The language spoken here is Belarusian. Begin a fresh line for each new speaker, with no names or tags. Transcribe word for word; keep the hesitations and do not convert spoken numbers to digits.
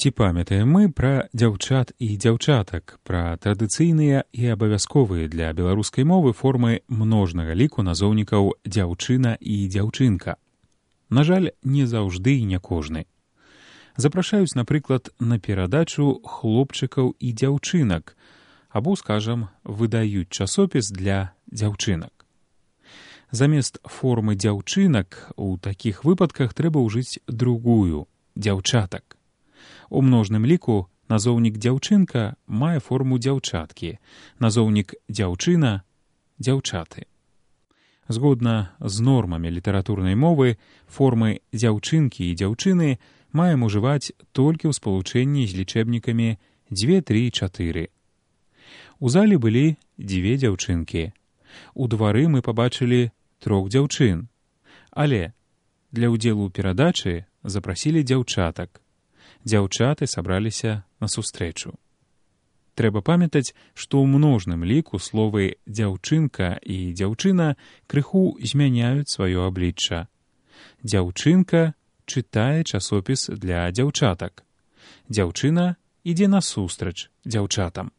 Ці памятаем мы пра дзяўчат і дзяўчатак, пра традыцыйныя і абавязковыя для беларускай мовы формы множнага ліку назоўнікаў дзяўчына і дзяўчынка? На жаль, не заўжды і не кожны. Запрашаюць, напрыклад, на перадачу хлопчыкаў і дзяўчынак, або, скажам, выдаюць часопіс для дзяўчынак. Замест формы дзяўчынак у такіх выпадках трэба ўжыць другую – дзяўчатак. У множным ліку назоўнік дзяўчынка мае форму дзяўчаткі, назоўнік дзяўчына – дзяўчаты. Згодна з нормамі літаратурнай мовы, формы дзяўчынкі і дзяўчыны маем ужываць толькі ў спалучэнні з лічэбнікамі дзве, тры, чатыры. У залі былі дзве дзяўчынкі. У двары мы пабачылі трох дзяўчын. Але для ўдзелу ў перадачы запрасілі дзяўчатак. Дзяўчаты сабраліся на сустрэчу. Трэба памятаць, што ў множным ліку словы «дзяўчынка» і «дзяўчына» крыху змяняюць сваё аблічча. Дзяўчынка чытае часопіс для дзяўчатак. Дзяўчына ідзе насустрач дзяўчатам.